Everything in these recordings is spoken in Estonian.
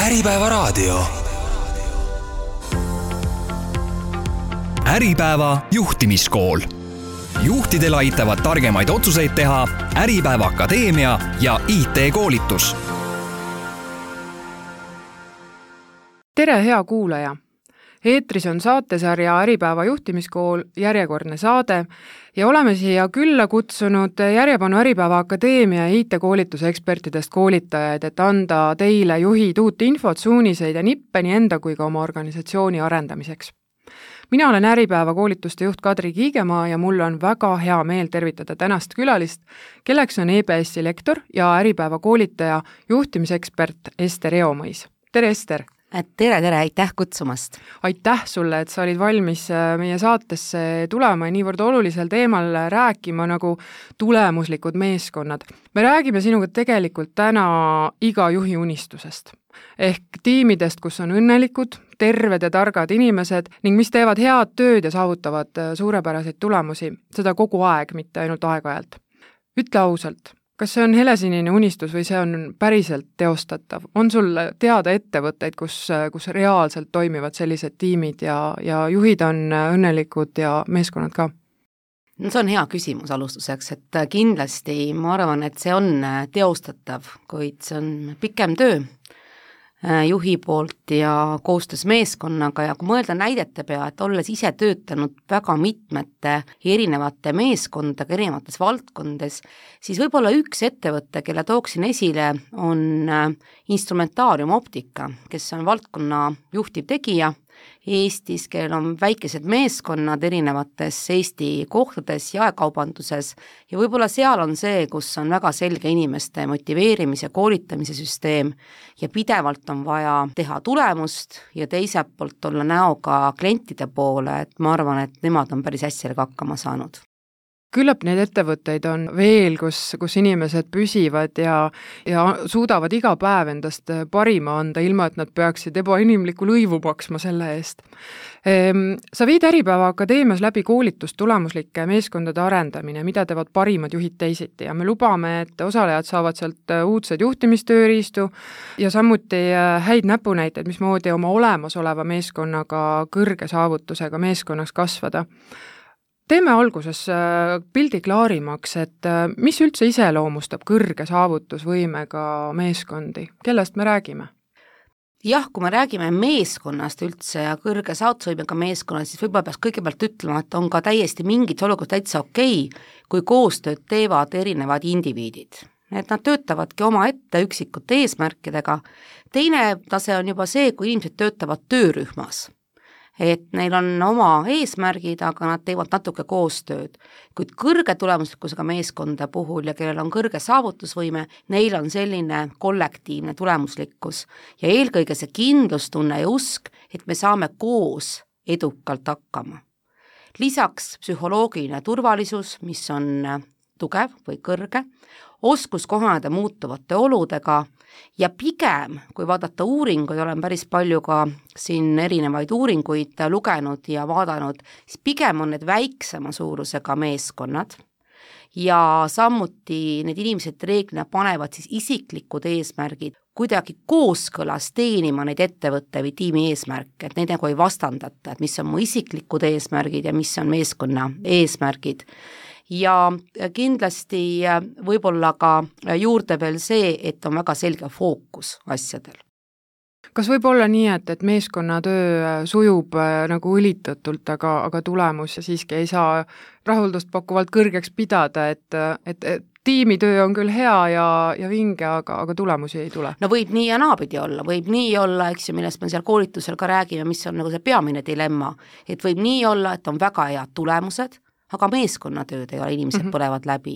Äripäeva raadio. Äripäeva juhtimiskool. Juhtidel aitavad targemaid otsuseid teha Äripäeva Akadeemia ja IT-koolitus. Tere, hea kuulaja! Eetris on saatesarja Äripäeva juhtimiskool järjekordne saade ja oleme siia külla kutsunud järjepanu Äripäeva Akadeemia ja IT-koolituse ekspertidest koolitajaid, et anda teile juhid uut infot, suuniseid ja nippe nii enda kui ka oma organisatsiooni arendamiseks. Mina olen Äripäeva koolituste juht Kadri Kiigemaa ja mul on väga hea meel tervitada tänast külalist, kelleks on EBS-i lektor ja Äripäeva koolitaja juhtimisekspert Ester Eomõis. Tere, Ester! Tere, aitäh kutsumast! Aitäh sulle, et sa olid valmis meie saatesse tulema ja niivõrd olulisel teemal rääkima nagu tulemuslikud meeskonnad. Me räägime sinuga tegelikult täna iga juhi unistusest. Ehk tiimidest, kus on õnnelikud, terved ja targad inimesed ning mis teevad head tööd ja saavutavad suurepäraseid tulemusi, seda kogu aeg, mitte ainult aeg-ajalt. Ütle ausalt, kas see on helesinine unistus või see on päriselt teostatav? On sul teada ettevõtteid, kus reaalselt toimivad sellised tiimid ja juhid on õnnelikud ja meeskonnad ka? No see on hea küsimus alustuseks, et kindlasti ma arvan, et see on teostatav, kuid see on pikem töö juhi poolt ja koostöös meeskonnaga ja kui mõelda näidete pea, et olles ise töötanud väga mitmete erinevate meeskondadega erinevates valdkondades, siis võib-olla üks ettevõte, kelle tooksin esile, on Instrumentaarium Optika, kes on valdkonna juhtiv tegija Eestis, kellel on väikesed meeskonnad erinevates Eesti kohtades, jaekaubanduses ja võib-olla seal on see, kus on väga selge inimeste motiveerimise, koolitamise süsteem ja pidevalt on vaja teha tulemust ja teiselt poolt olla näoga klientide poole, et ma arvan, et nemad on päris hästi hakkama saanud. Küllap neid ettevõtteid on veel, kus inimesed püsivad ja suudavad iga päev endast parima anda, ilma et nad peaksid ebainimlikku lõivu maksma selle eest. Sa viid Äripäeva Akadeemias läbi koolitust tulemuslike meeskondade arendamine, mida teevad parimad juhid teisiti ja me lubame, et osalejad saavad sealt uudseid juhtimistööriistu ja samuti häid näpunäiteid, mismoodi oma olemasoleva meeskonnaga kõrge saavutusega meeskonnaks kasvada. Teeme alguses pildi klaarimaks, et mis üldse iseloomustab kõrge saavutusvõimega meeskondi? Kellest me räägime? Jah, kui me räägime meeskonnast üldse ja kõrge saavutusvõimega meeskonnast, siis võib-olla peaks kõigepealt ütlema, et on ka täiesti mingid olukorrad täitsa okei, kui koostööd teevad erinevad indiviidid. Et nad töötavadki oma ette üksikute eesmärkidega. Teine tase on juba see, kui inimesed töötavad töörühmas. Et neil on oma eesmärgid, aga nad teevad natuke koostööd. Kuid kõrge tulemuslikkusega meeskonda puhul ja kellel on kõrge saavutusvõime, neil on selline kollektiivne tulemuslikkus ja eelkõige see kindlustunne ja usk, et me saame koos edukalt hakkama. Lisaks psühholoogiline turvalisus, mis on tugev või kõrge, oskus kohaneda muutuvate oludega ja pigem, kui vaadata uuringuid, olen päris palju ka siin erinevaid uuringuid lugenud ja vaadanud, siis pigem on need väiksema suurusega meeskonnad ja samuti need inimesed reeglina panevad siis isiklikud eesmärgid kuidagi kooskõlas teenima neid ettevõtte või tiimi eesmärke, et neid nagu ei vastandata, et mis on mu isiklikud eesmärgid ja mis on meeskonna eesmärgid. Ja kindlasti võib-olla ka juurde veel see, et on väga selge fookus asjadel. Kas võib olla nii, et meeskonnatöö sujub nagu õlitatult, aga tulemus siiski ei saa rahuldust pakkuvalt kõrgeks pidada, et tiimitöö on küll hea ja vinge, aga tulemusi ei tule? No võib nii ja naapidi olla, võib nii olla, eks ju, millest me seal koolitusel ka räägime, mis on nagu see peamine dilemma, et võib nii olla, et on väga head tulemused, aga meeskonnatööd ei ole, inimesed põlevad läbi.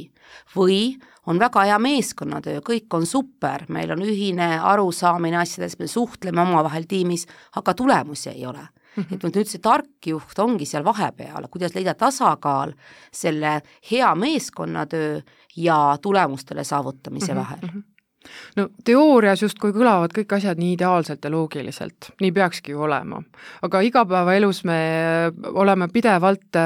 Või on väga hea meeskonnatöö, kõik on super, meil on ühine arusaamine asjades, me suhtleme omavahel tiimis, aga tulemusi ei ole. Et nüüd see tark juht ongi seal vahepeal, kuidas leida tasakaal selle hea meeskonnatöö ja tulemustele saavutamise vahel. No teoorias justkui kõlavad kõik asjad nii ideaalselt ja loogiliselt, nii peakski ju olema. Aga igapäevaelus me oleme pidevalt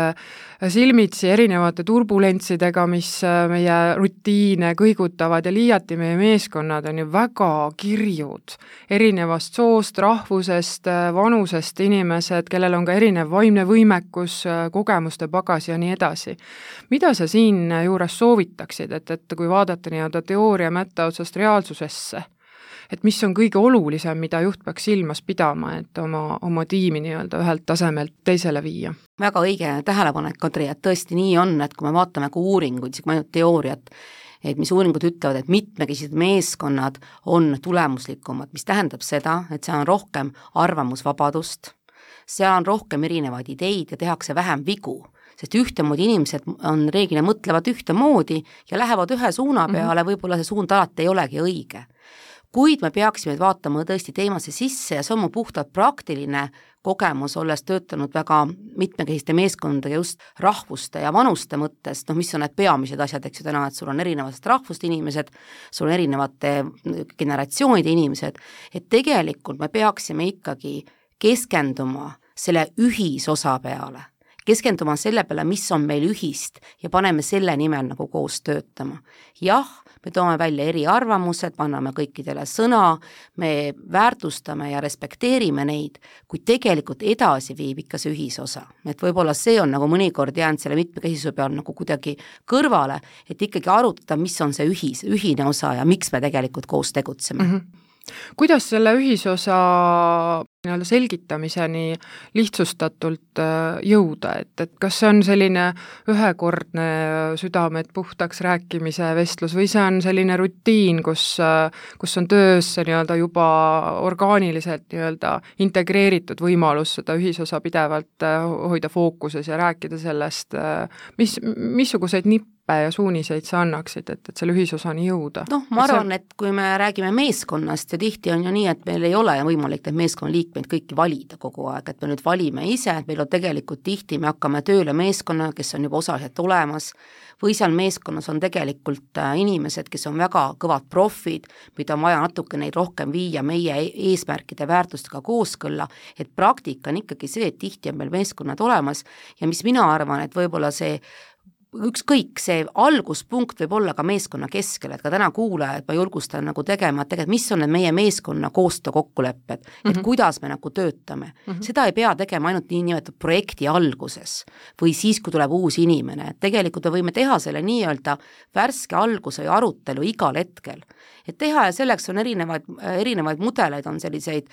silmitsi erinevate turbulentsidega, mis meie rutiine kõigutavad ja liiati meie meeskonnad on ju väga kirjud. Erinevast soost, rahvusest, vanusest inimesed, kellel on ka erinev vaimne võimekus, kogemuste pagas ja nii edasi. Mida sa siin juures soovitaksid, et kui vaadata nii-öelda teooria mätta otsast reaalsusesse, et mis on kõige olulisem, mida juht peaks silmas pidama, et oma tiimi nii-öelda ühelt tasemelt teisele viia? Väga õige tähelepanek, Kadri, et tõesti nii on, et kui me vaatame ka uuringuid, siis ainult teooriat, et mis uuringud ütlevad, et mitmekesised meeskonnad on tulemuslikumad, mis tähendab seda, et seal on rohkem arvamusvabadust, seal on rohkem erinevaid ideid ja tehakse vähem vigu, sest ühtemoodi inimesed on reeglina mõtlevad ühtemoodi ja lähevad ühe suuna peale, võib-olla see suund alati ei olegi õige. Kuid me peaksime vaatama tõesti teemasse sisse ja see on mu puhtalt praktiline kogemus, olles töötanud väga mitmekesiste meeskondadega just rahvuste ja vanuste mõttes, mis on need peamised asjad, eks ju täna, et sul on erinevast rahvust inimesed, sul on erinevate generatsioonide inimesed, et tegelikult me peaksime ikkagi keskenduma selle ühisosa peale, keskenduma selle peale, mis on meil ühist ja paneme selle nimel nagu koos töötama. Jah, me toome välja eriarvamused, anname kõikidele sõna, me väärtustame ja respekteerime neid, kuid tegelikult edasi viib ikka see ühisosa. Et võib-olla see on nagu mõnikord jäänud selle mitmekesisuse peal nagu kuidagi kõrvale, et ikkagi arutada, mis on see ühine osa ja miks me tegelikult koos tegutseme. Kuidas selle ühisosa selgitamiseni lihtsustatult jõuda, et kas see on selline ühekordne südamed puhtaks rääkimise vestlus või see on selline rutiin, kus on töösse juba orgaaniliselt integreeritud võimalus seda ühisosa pidevalt hoida fookuses ja rääkida sellest, missuguseid nippe ja suuniseid sa annaksid, et selle ühisosani jõuda? Ma arvan, et kui me räägime meeskonnast ja tihti on ju nii, et meil ei ole võimalik neid meeskonnaliikmeid kõiki valida kogu aeg, et me nüüd valime ise, et meil on tegelikult tihti, me hakkame tööle meeskonna, kes on juba osaliselt olemas, või seal meeskonnas on tegelikult inimesed, kes on väga kõvad profid, mida on vaja natuke neid rohkem viia meie eesmärkide väärtustega kooskõlla, et praktika on ikkagi see, et tihti on meil meeskonnad olemas ja mis mina arvan, et võib-olla see ükskõik see alguspunkt võib olla ka meeskonna keskel, et ka täna kuulajad ma julgustan nagu tegema, et tegelikult mis on need meie meeskonna koostöö kokkulepped, et kuidas me nagu töötame. Seda ei pea tegema ainult niinimetatud projekti alguses või siis, kui tuleb uus inimene, et tegelikult me võime teha selle nii-öelda värske alguse ja arutelu igal hetkel. Et teha ja selleks on erinevaid mudeleid, on selliseid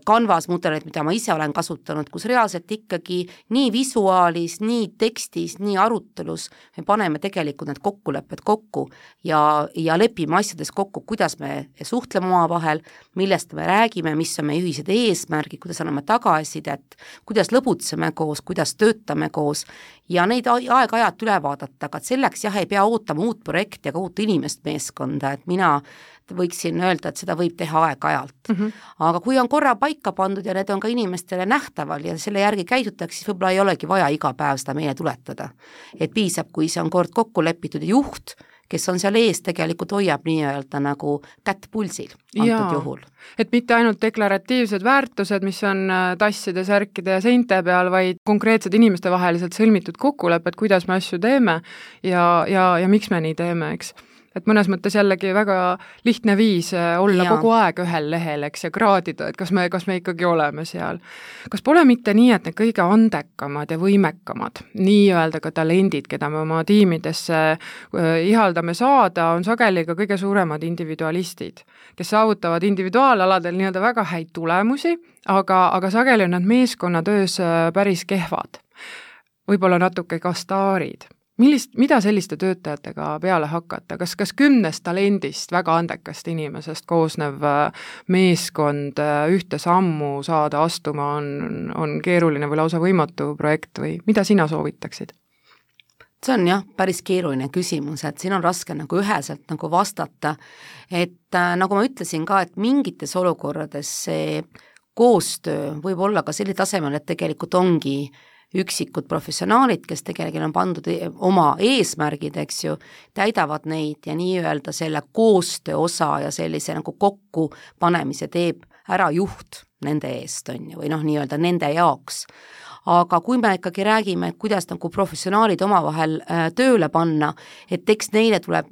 Canvas mudeleid, mida ma ise olen kasutanud, kus reaalselt ikkagi nii visuaalis, nii tekstis, nii arutelus me paneme tegelikult need kokkulepped kokku ja lepime asjades kokku, kuidas me suhtleme omavahel, millest me räägime, mis on meie ühised eesmärgid, kuidas anname tagasisidet, kuidas lõbutseme koos, kuidas töötame koos ja neid aeg-ajalt üle vaadata, aga selleks ei pea ootama uut projekti ega uut inimest meeskonda, et mina võiksin öelda, et seda võib teha aeg-ajalt. Aga kui on korra paika pandud ja need on ka inimestele nähtaval ja selle järgi käidutakse, siis võib-olla ei olegi vaja iga päev seda meile tuletada. Et piisab, kui see on kord kokku lepitud juht, kes on seal ees, tegelikult hoiab nii-öelda nagu kätt pulsil antud juhul. Et mitte ainult deklaratiivsed väärtused, mis on tasside, särkide ja seinte peal, vaid konkreetsed inimeste vaheliselt sõlmitud kokkulepped, kuidas me asju teeme ja miks me nii teeme, eks. Et mõnes mõttes jällegi väga lihtne viis olla kogu aeg ühel lehel, eks, ja kraadida, et kas me ikkagi oleme seal. Kas pole mitte nii, et need kõige andekamad ja võimekamad, nii-öelda ka talendid, keda me oma tiimidesse ihaldame saada, on sageli ka kõige suuremad individualistid, kes saavutavad individuaalaladel nii-öelda väga häid tulemusi, aga sageli on nad meeskonnatöös päris kehvad. Võib-olla natuke ka staarid. Mida selliste töötajatega peale hakata? Kas 10 talendist, väga andekast inimesest koosnev meeskond ühte sammu saada astuma on keeruline või lausa võimatu projekt või mida sina soovitaksid? See on päris keeruline küsimus, et siin on raske nagu üheselt nagu vastata, et nagu ma ütlesin ka, et mingites olukorrades see koostöö võib olla ka selline tasemel, et tegelikult ongi üksikud professionaalid, kes tegelikult on pandud oma eesmärgid, eks ju, täidavad neid ja nii-öelda selle koostöö osa ja sellise nagu kokkupanemise teeb ära juht nende eest, on ju, või noh, nii-öelda nende jaoks. Aga kui me ikkagi räägime, et kuidas nagu professionaalid omavahel tööle panna, et eks neile tuleb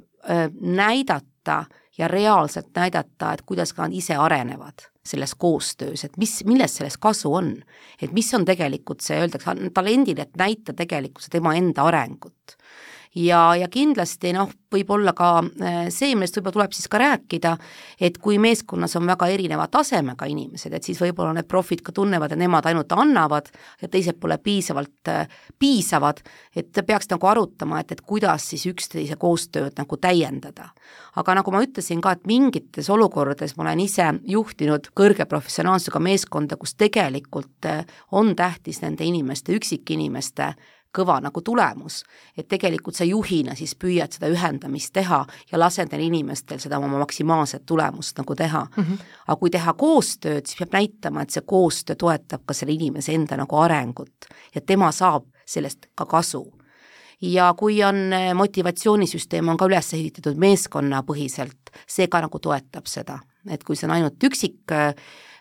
näidata ja reaalselt näidata, et kuidas ka nad ise arenevad selles koostöös, et millest sellest kasu on, et mis on tegelikult see, öeldakse talendile, et näita tegelikult tema enda arengut. Ja kindlasti võib olla ka see, millest võib-olla tuleb siis ka rääkida, et kui meeskonnas on väga erineva tasemega inimesed, et siis võib-olla need profid ka tunnevad, et nemad ainult annavad ja teised pole piisavad, et peaks nagu arutama, et kuidas siis üksteise koostööd nagu täiendada. Aga nagu ma ütlesin ka, et mingites olukordades ma olen ise juhtinud kõrge professionaalsusega meeskonda, kus tegelikult on tähtis nende inimeste, üksikinimeste kõva nagu tulemus, et tegelikult sa juhina siis püüad seda ühendamist teha ja lased neil inimestel seda oma maksimaalset tulemust nagu teha. Aga kui teha koostööd, siis peab näitama, et see koostöö toetab ka selle inimese enda nagu arengut ja tema saab sellest ka kasu. Ja kui on motivatsioonisüsteem on ka üles ehitatud meeskonnapõhiselt, see ka nagu toetab seda, et kui see on ainult üksik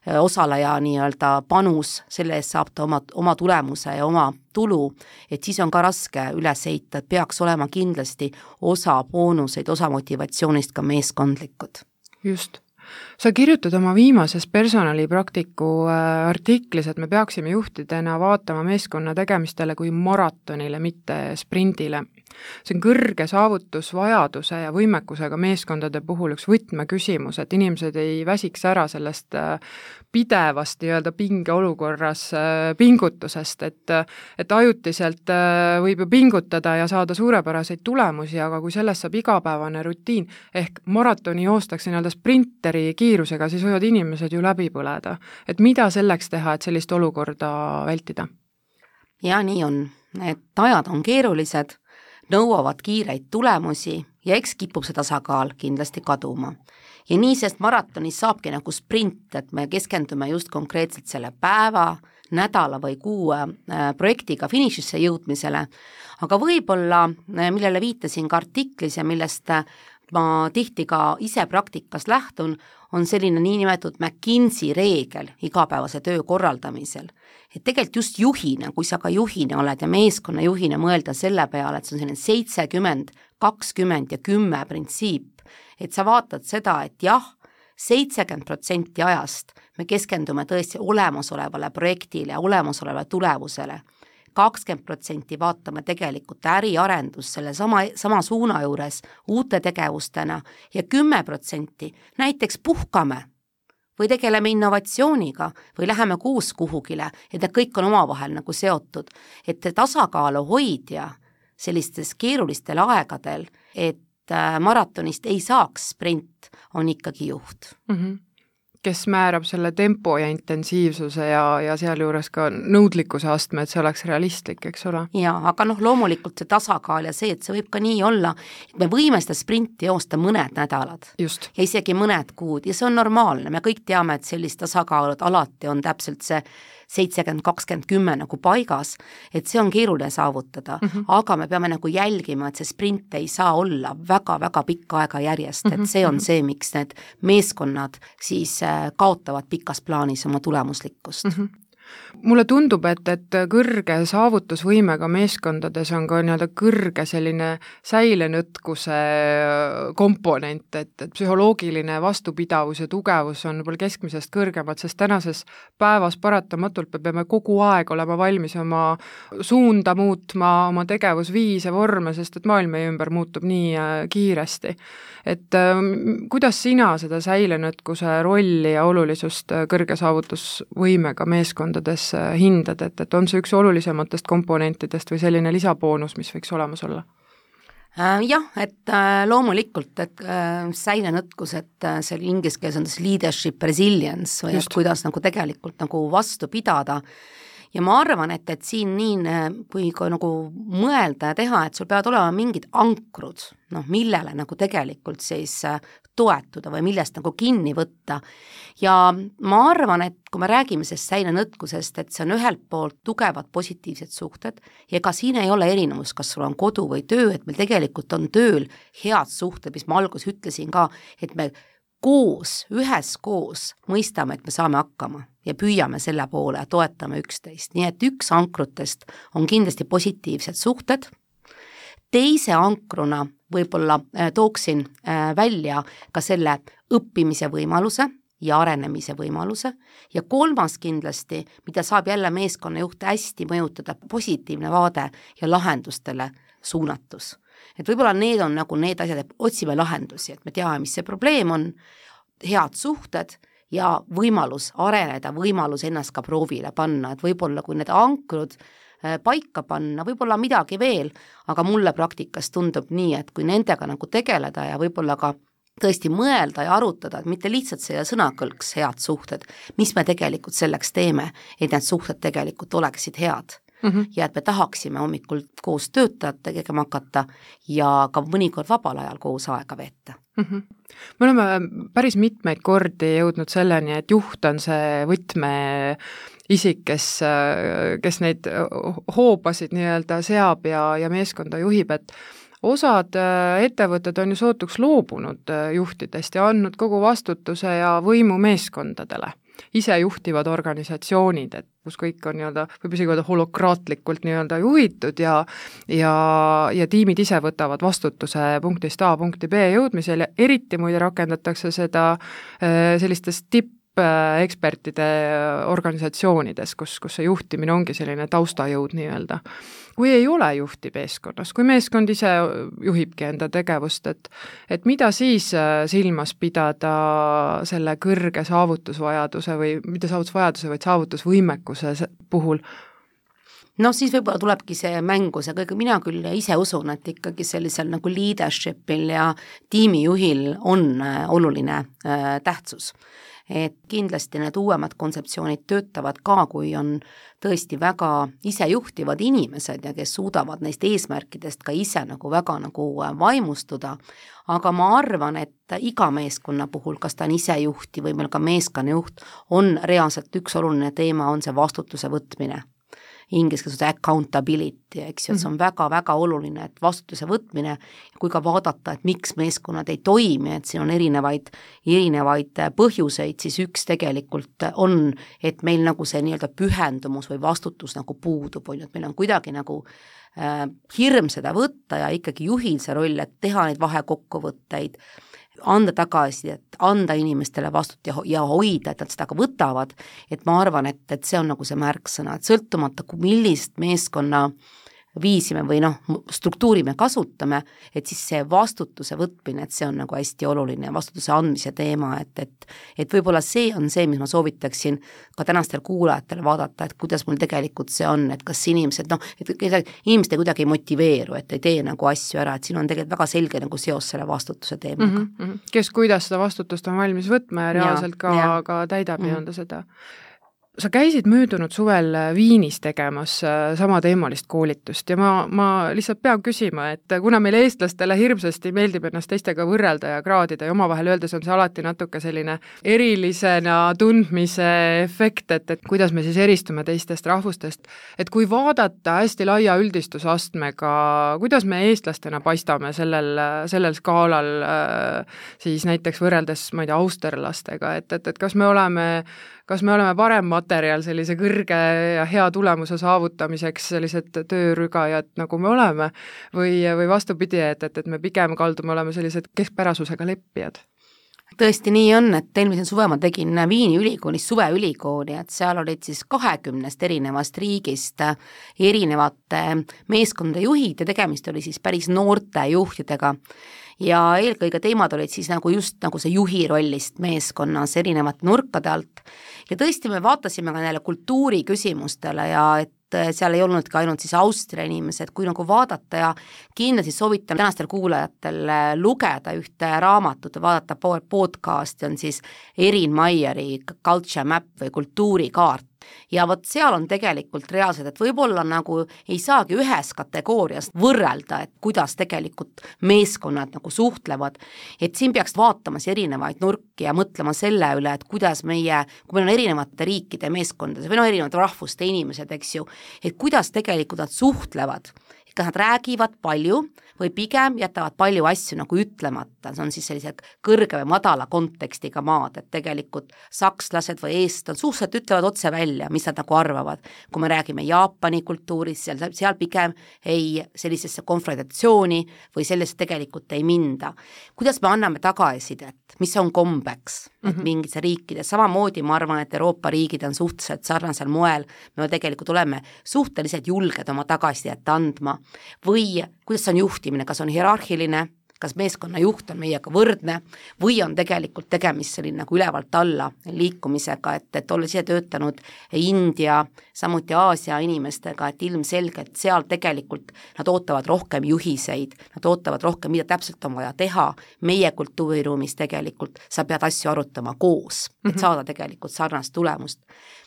osaleja nii-öelda panus, selle eest saab ta oma tulemuse ja oma tulu, et siis on ka raske üles ehitada, et peaks olema kindlasti osa boonuseid, osa motivatsioonist ka meeskondlikud. Just. Sa kirjutad oma viimases personalipraktiku artiklis, et me peaksime juhtidena vaatama meeskonna tegemistele kui maratonile, mitte sprindile. See on kõrge saavutusvajaduse ja võimekusega meeskondade puhul üks võtmeküsimus, et inimesed ei väsiks ära sellest pidevast nii-öelda pingeolukorras pingutusest, et ajutiselt võib ju pingutada ja saada suurepäraseid tulemusi, aga kui sellest saab igapäevane rutiin, ehk maratoni joostakse nii-öelda sprinteri kiirusega, siis võivad inimesed ju läbi põleda. Et mida selleks teha, et sellist olukorda vältida? Ja nii on, et ajad on keerulised, nõuavad kiireid tulemusi ja eks kipub see tasakaal kindlasti kaduma. Ja nii, sest maratonis saabki nagu sprint, et me keskendume just konkreetselt selle päeva, nädala või kuu projektiga finišisse jõudmisele, aga võib-olla, millele viitasin ka artiklis ja millest ma tihti ka ise praktikas lähtun, on selline niinimetatud McKinsey reegel igapäevase töö korraldamisel. Et tegelikult just juhina, kui sa ka juhina oled ja meeskonna juhina mõelda selle peale, et see on selline 70, 20 ja 10 printsiip, et sa vaatad seda, et jah, 70% ajast me keskendume tõesti olemasolevale projektile ja olemasolevale tulemusele, 20% vaatame tegelikult äriarendus selle sama suuna juures uute tegevustena ja 10% näiteks puhkame või tegeleme innovatsiooniga või läheme kuus kuhugile, et need kõik on omavahel nagu seotud, et tasakaalu hoidja sellistes keerulistel aegadel, et maratonist ei saaks sprint, on ikkagi juht. Kes määrab selle tempo ja intensiivsuse ja sealjuures ka nõudlikkuse astme, et see oleks realistlik, eks ole? Ja, aga loomulikult see tasakaal ja see, et see võib ka nii olla, et me võime seda sprinti joosta mõned nädalad. Just. Ja isegi mõned kuud ja see on normaalne, me kõik teame, et sellist tasakaalud alati on täpselt see 70-20-10 nagu paigas, et see on keeruline saavutada, aga me peame nagu jälgima, et see sprint ei saa olla väga-väga pikka aega järjest, et see on see, miks need meeskonnad siis kaotavad pikas plaanis oma tulemuslikkust. Mulle tundub, et kõrge saavutusvõimega meeskondades on ka nii-öelda kõrge selline säilenõtkuse komponent, et psühholoogiline vastupidavus ja tugevus on võib-olla keskmisest kõrgemad, sest tänases päevas paratamatult me peame kogu aeg olema valmis oma suunda muutma, oma tegevusviise, vorme, sest et maailm meie ümber muutub nii kiiresti. Et kuidas sina seda säilenõtkuse rolli ja olulisust kõrge saavutusvõimega meeskondades hindad, et on see üks olulisematest komponentidest või selline lisaboonus, mis võiks olemas olla? Jah, et loomulikult, et säilenõtkus, et see inglise keeles on leadership resilience või kuidas nagu tegelikult nagu vastu pidada ja ma arvan, et siin nii, kui nagu mõelda ja teha, et sul peavad olema mingid ankrud, millele nagu tegelikult siis toetuda või millest nagu kinni võtta. Ja ma arvan, et kui me räägime sellest säilenõtkusest, et see on ühelt poolt tugevad positiivsed suhted ja ega siin ei ole erinevus, kas sul on kodu või töö, et meil tegelikult on tööl head suhted, mis ma alguses ütlesin ka, et me üheskoos mõistame, et me saame hakkama ja püüame selle poole ja toetame üksteist. Nii et üks ankrutest on kindlasti positiivsed suhted. Teise ankruna võib-olla tooksin välja ka selle õppimise võimaluse ja arenemise võimaluse ja kolmas kindlasti, mida saab jälle meeskonnajuht hästi mõjutada, positiivne vaade ja lahendustele suunatus. Et võib-olla need on nagu need asjad, et otsime lahendusi, et me teame, mis see probleem on, head suhted ja võimalus areneda, võimalus ennast ka proovile panna, et võib-olla kui need ankrud paika panna, võib-olla midagi veel, aga mulle praktikas tundub nii, et kui nendega nagu tegeleda ja võib-olla ka tõesti mõelda ja arutada, et mitte lihtsalt selle sõnakõlks head suhted, mis me tegelikult selleks teeme, et need suhted tegelikult oleksid head. Ja et me tahaksime hommikul koos töötajad tegema hakata ja ka mõnikord vabal ajal koos aega veeta. Me oleme päris mitmeid kordi jõudnud selleni, et juht on see võtmeisik, kes neid hoobasid nii-öelda seab ja meeskonda juhib, et osad ettevõtted on ju sootuks loobunud juhtidest ja andnud kogu vastutuse ja võimu meeskondadele. Ise juhtivad organisatsioonid, et kus kõik on nii-öelda, võib isegi öelda holokraatlikult nii-öelda juhitud ja tiimid ise võtavad vastutuse punktist A punkti B jõudmisel ja eriti muide rakendatakse seda sellistes tippekspertide organisatsioonides, kus see juhtimine ongi selline taustajõud nii-öelda. Kui ei ole juhti meeskonnas, kui meeskond ise juhibki enda tegevust, et mida siis silmas pidada selle kõrge saavutusvajaduse või mitte saavutusvajaduse, vaid saavutusvõimekuse puhul? Siis võib-olla tulebki see mängu, mina küll ise usun, et ikkagi sellisel nagu leadershipil ja tiimijuhil on oluline tähtsus. Et kindlasti need uuemad kontseptsioonid töötavad ka, kui on tõesti väga isejuhtivad inimesed ja kes suudavad neist eesmärkidest ka ise nagu väga nagu vaimustuda, aga ma arvan, et iga meeskonna puhul, kas ta on isejuhti või meil ka meeskonnajuht, on reaalselt üks oluline teema, on see vastutuse võtmine. Inglise keeles accountability, eks ju, et see on väga-väga oluline, et vastutuse võtmine, kui ka vaadata, et miks meeskonnad ei toimi, et siin on erinevaid põhjuseid, siis üks tegelikult on, et meil nagu see nii-öelda pühendumus või vastutus nagu puudub, et meil on kuidagi nagu hirm seda võtta ja ikkagi juhil see roll, et teha neid vahekokkuvõtteid, anda tagasi, et anda inimestele vastut ja hoida, et nad seda ka võtavad, et ma arvan, et see on nagu see märksõna, et sõltumata, millist meeskonna viisime või struktuuri me kasutame, et siis see vastutuse võtmine, et see on nagu hästi oluline ja vastutuse andmise teema, et võib-olla see on see, mis ma soovitaksin ka tänastel kuulajatele vaadata, et kuidas mul tegelikult see on, et kas inimesed, inimesed kuidagi ei motiveeru, et ei tee nagu asju ära, et siin on tegelikult väga selge nagu seos selle vastutuse teemaga. Kes kuidas seda vastutust on valmis võtma ja reaalselt ka täidab nii-öelda seda. Sa käisid möödunud suvel Viinis tegemas samateemalist koolitust ja ma lihtsalt pean küsima, et kuna meil eestlastele hirmsasti meeldib ennast teistega võrrelda ja kraadida ja omavahel öeldes on see alati natuke selline erilisena tundmise efekt, et kuidas me siis eristume teistest rahvustest, et kui vaadata hästi laia üldistusastmega, kuidas me eestlastena paistame sellel skaalal siis näiteks võrreldes, ma ei tea, austerlastega, et kas me oleme parem materjal sellise kõrge ja hea tulemuse saavutamiseks, sellised töörügajad, nagu me oleme, või vastupidi, et me pigem kaldume olema sellised keskpärasusega leppijad? Tõesti nii on, et eelmisel suve ma tegin Viini ülikoolis suveülikooli, et seal olid siis 20 erinevast riigist erinevate meeskondade juhid ja tegemist oli siis päris noorte juhtidega. Ja eelkõige teemad olid siis nagu just nagu see juhi rollist meeskonnas erinevate nurkade alt. Ja tõesti me vaatasime ka neile kultuuri küsimustele ja et seal ei olnud ka ainult siis Austria inimesed, kui nagu vaadata ja kindlasti soovitan tänastel kuulajatel lugeda ühte raamatut ja vaadata podcasti, on siis Erin Meieri Culture Map või kultuurikaart, ja vot seal on tegelikult reaalselt, et võib-olla nagu ei saagi ühes kategoorias võrrelda, et kuidas tegelikult meeskonnad nagu suhtlevad, et siin peaks vaatamas erinevaid nurki ja mõtlema selle üle, et kuidas meie, kui meil on erinevate riikide meeskondades või no erinevad rahvuste inimesed, eks ju, et kuidas tegelikult nad suhtlevad, kas nad räägivad palju või pigem jätavad palju asju nagu ütlemata, see on siis sellise kõrge või madala kontekstiga maad, et tegelikult sakslased või eestlased suhteliselt ütlevad otse välja, mis nad nagu arvavad. Kui me räägime Jaapani kultuurist, seal pigem ei sellisesse konfrontatsiooni või sellest tegelikult ei minda. Kuidas me anname tagasisidet, mis on kombeks, et mingites riikides, samamoodi ma arvan, et Euroopa riigid on suhteliselt sarnasel moel, me tegelikult oleme suhteliselt julged oma tagasisidet andma, või kuidas on juhtimine, kas on hierarhiline, kas meeskonna juht on meiega võrdne või on tegelikult tegemist selline nagu ülevalt alla liikumisega, et olles ise töötanud India, samuti Aasia inimestega, et ilmselgelt seal tegelikult nad ootavad rohkem juhiseid, nad ootavad rohkem, mida täpselt on vaja teha, meie kultuuriruumis tegelikult sa pead asju arutama koos, et saada tegelikult sarnast tulemust.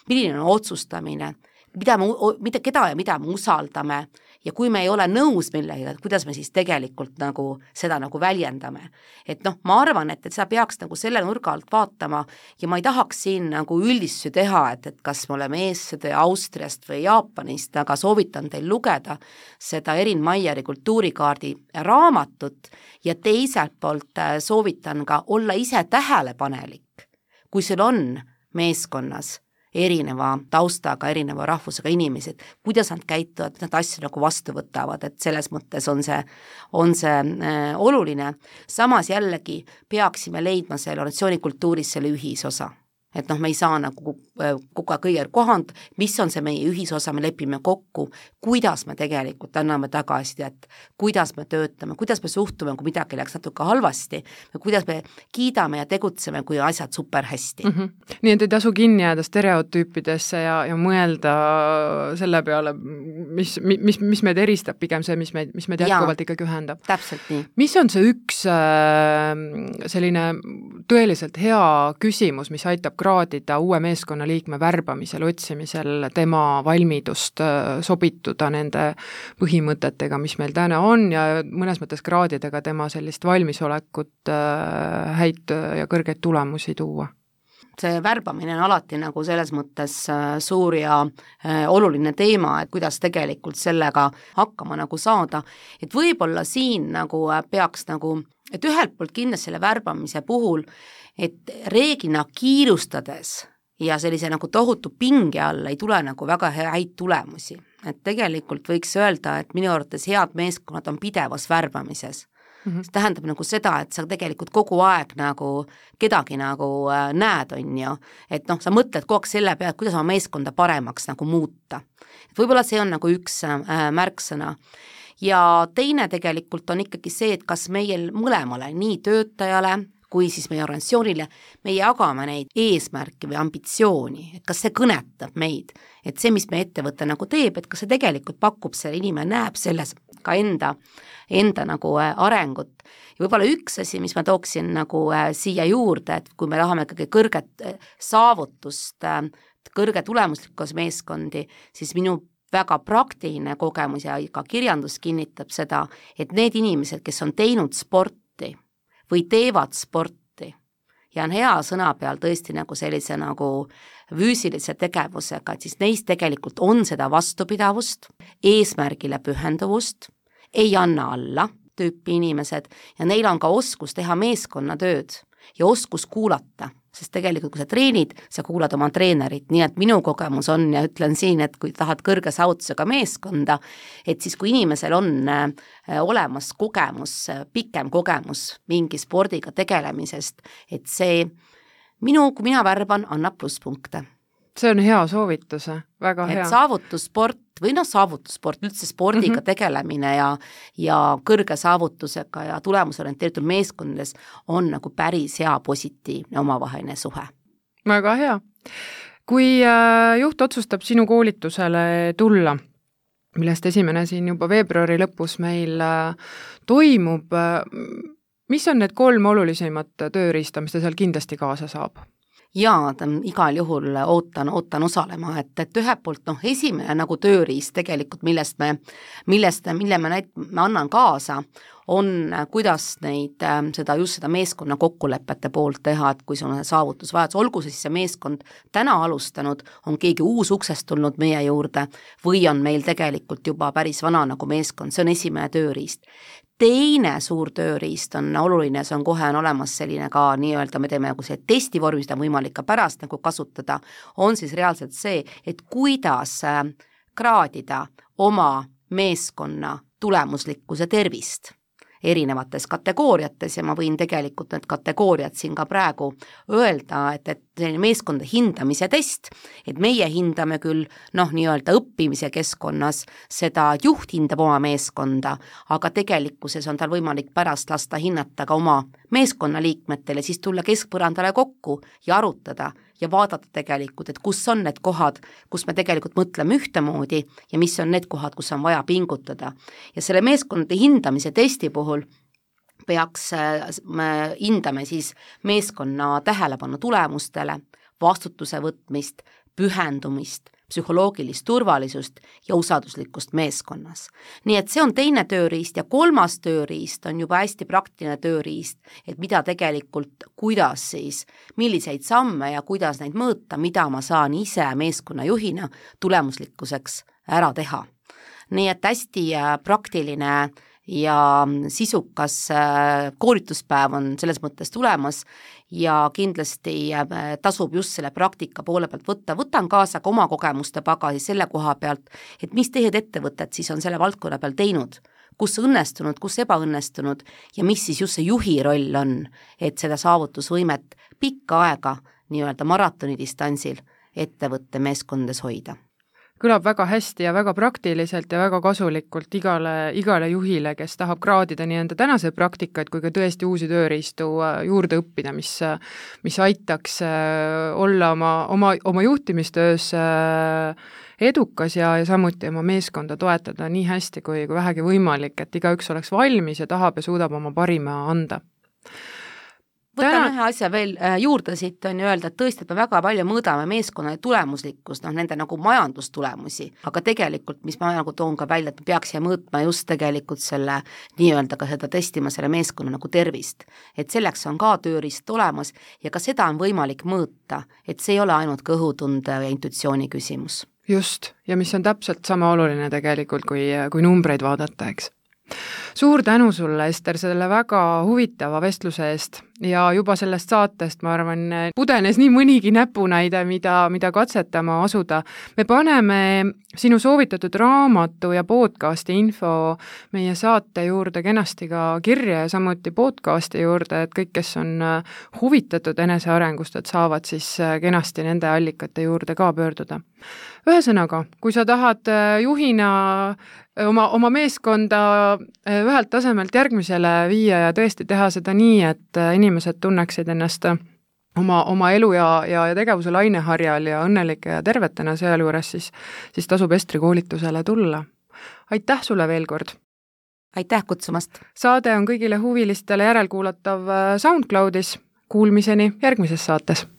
Milline on otsustamine, keda ja mida me usaldame ja kui me ei ole nõus millega, kuidas me siis tegelikult nagu seda nagu väljendame. Et noh, ma arvan, et seda peaks nagu selle nurga alt vaatama ja ma ei tahaks siin nagu üldistusi teha, et kas me oleme eestlased või Austriast või Jaapanist, aga soovitan teil lugeda seda Erin Meieri kultuurikaardi raamatut ja teiselt poolt soovitan ka olla ise tähelepanelik, kui sul on meeskonnas erineva taustaga, erineva rahvusega inimesed, kuidas nad käituvad, nad asju nagu vastu võtavad, et selles mõttes on see oluline. Samas jällegi peaksime leidma selle organisatsioonikultuuris selle ühisosa. Et noh, me ei saa nagu kogu aeg kõige kohand, mis on see meie ühisosa, me lepime kokku, kuidas me tegelikult anname tagasisidet, kuidas me töötame, kuidas me suhtume, kui midagi läks natuke halvasti, kuidas me kiidame ja tegutseme, kui asjad super hästi. Nii et ei tasu kinni jääda stereotüüpidesse ja mõelda selle peale, mis meid eristab, pigem see, mis meid jätkuvalt ikkagi ühendab. Täpselt nii. Mis on see üks selline tõeliselt hea küsimus, mis aitab kraadida uue meeskonnaliikme värbamisel, otsimisel tema valmidust sobituda nende põhimõtetega, mis meil täna on ja mõnes mõttes kraadida ka tema sellist valmisolekut häid ja kõrgeid tulemusi tuua? See värbamine on alati nagu selles mõttes suur ja oluline teema, et kuidas tegelikult sellega hakkama nagu saada, et võib-olla siin nagu peaks nagu, et ühelt poolt kindlasti selle värbamise puhul, et reeglina kiirustades ja sellise nagu tohutu pinge alla ei tule nagu väga häid tulemusi. Et tegelikult võiks öelda, et minu arvates head meeskonnad on pidevas värbamises. See tähendab nagu seda, et sa tegelikult kogu aeg nagu kedagi nagu näed, on ju, et noh, sa mõtled kogu aeg selle peale, kuidas oma meeskonda paremaks nagu muuta. Et võib-olla see on nagu üks märksõna. Ja teine tegelikult on ikkagi see, et kas meil mõlemale, nii töötajale kui siis meie organisatsioonile, me jagame neid eesmärke või ambitsiooni, et kas see kõnetab meid, et see, mis meie ettevõte nagu teeb, et kas see tegelikult pakub, see inimene näeb selles ka enda nagu arengut. Ja võib-olla üks asi, mis ma tooksin nagu siia juurde, et kui me tahame ikkagi kõrget saavutust, kõrge tulemuslikkus meeskondi, siis minu väga praktiline kogemus ja ka kirjandus kinnitab seda, et need inimesed, kes on teinud sporti või teevad sporti ja on hea sõna peal tõesti nagu sellise nagu füüsilise tegevusega, et siis neist tegelikult on seda vastupidavust, eesmärgile pühenduvust, ei anna alla tüüpi inimesed ja neil on ka oskus teha meeskonnatööd ja oskus kuulata, sest tegelikult kui sa treenid, sa kuulad oma treenerit, nii et minu kogemus on ja ütlen siin, et kui tahad kõrge saavutusega meeskonda, et siis kui inimesel on olemas kogemus, pikem kogemus mingi spordiga tegelemisest, et see kui mina värban, annab plusspunkte. See on hea soovitus, väga hea. Et saavutussport või saavutussport, üldse spordiga tegelemine ja kõrge saavutusega ja tulemusorienteeritud meeskondades on nagu päris hea positiivne omavaheline suhe. Väga hea. Kui juht otsustab sinu koolitusele tulla, millest esimene siin juba veebruari lõpus meil toimub, mis on need 3 olulisemat tööriista, mis ta seal kindlasti kaasa saab? Jaa, igal juhul ootan osalema, et ühelt poolt esimene nagu tööriist tegelikult, mille ma annan kaasa, on kuidas seda meeskonna kokkulepete poolt teha, et kui sul on saavutusvajadus, olgu siis see meeskond täna alustanud, on keegi uus uksest tulnud meie juurde või on meil tegelikult juba päris vana nagu meeskond, see on esimene tööriist. Teine suur tööriist on oluline, see on kohe olemas selline ka nii-öelda, me teeme nagu see testivorm, seda on võimalik ka pärast nagu kasutada, on siis reaalselt see, et kuidas kraadida oma meeskonna tulemuslikkuse tervist erinevates kategooriates ja ma võin tegelikult need kategooriad siin ka praegu öelda, et selline meeskonda hindamise test, et meie hindame küll nii-öelda õppimise keskkonnas, seda juht hindab oma meeskonda, aga tegelikkuses on tal võimalik pärast lasta hinnata ka oma meeskonnaliikmetele, siis tulla keskpõrandale kokku ja arutada ja vaadata tegelikult, et kus on need kohad, kus me tegelikult mõtleme ühtemoodi ja mis on need kohad, kus on vaja pingutada. Ja selle meeskondade hindamise testi puhul me hindame siis meeskonna tähelepanu tulemustele, vastutuse võtmist, pühendumist, psühholoogilist turvalisust ja usalduslikkust meeskonnas. Nii et see on teine tööriist ja kolmas tööriist on juba hästi praktiline tööriist, et mida tegelikult, kuidas siis, milliseid samme ja kuidas neid mõõta, mida ma saan ise meeskonnajuhina tulemuslikkuseks ära teha. Nii et hästi praktiline ja sisukas koolituspäev on selles mõttes tulemas ja kindlasti tasub just selle praktika poole pealt võtan kaasa ka oma kogemuste pagasi selle koha pealt, et mis teised ettevõtted siis on selle valdkonna peal teinud, kus õnnestunud, kus ebaõnnestunud ja mis siis just see juhi roll on, et seda saavutusvõimet pikka aega nii-öelda maratonidistantsil ettevõtte meeskondades hoida. Kõlab väga hästi ja väga praktiliselt ja väga kasulikult igale juhile, kes tahab kraadida nii enda tänaseid praktikaid kui ka tõesti uusi tööriistu juurde õppida, mis aitaks olla oma juhtimistöös edukas ja samuti oma meeskonda toetada nii hästi kui vähegi võimalik, et igaüks oleks valmis ja tahab ja suudab oma parima anda. Võtame ühe asja veel juurde siit on ju öelda, et tõesti, et me väga palju mõõdame meeskonna tulemuslikkust, nende nagu majandustulemusi, aga tegelikult, mis ma nagu toon ka välja, et me peaksime mõõtma just tegelikult selle nii-öelda ka seda testima selle meeskonna nagu tervist. Et selleks on ka tööriist olemas ja ka seda on võimalik mõõta, et see ei ole ainult kõhutunde ja intuitsiooni küsimus. Just, ja mis on täpselt sama oluline tegelikult, kui numbreid vaadata, eks. Suur tänu sulle, Ester, selle väga huvitava vestluse eest ja juba sellest saatest, ma arvan, pudenes nii mõnigi näpunäide, mida katsetama asuda. Me paneme sinu soovitatud raamatu ja podcasti info meie saate juurde kenasti ka kirja ja samuti podcasti juurde, et kõik, kes on huvitatud enesearengust, et saavad siis kenasti nende allikate juurde ka pöörduda. Ühesõnaga, kui sa tahad juhina oma meeskonda ühelt tasemelt järgmisele viia ja tõesti teha seda nii, et inimesed tunneksid ennast oma elu ja tegevuse laineharjal ja õnnelike ja tervetena sealjuures, siis tasub Estri koolitusele tulla. Aitäh sulle veel kord! Aitäh kutsumast! Saade on kõigile huvilistele järelkuulatav SoundCloudis. Kuulmiseni järgmises saates!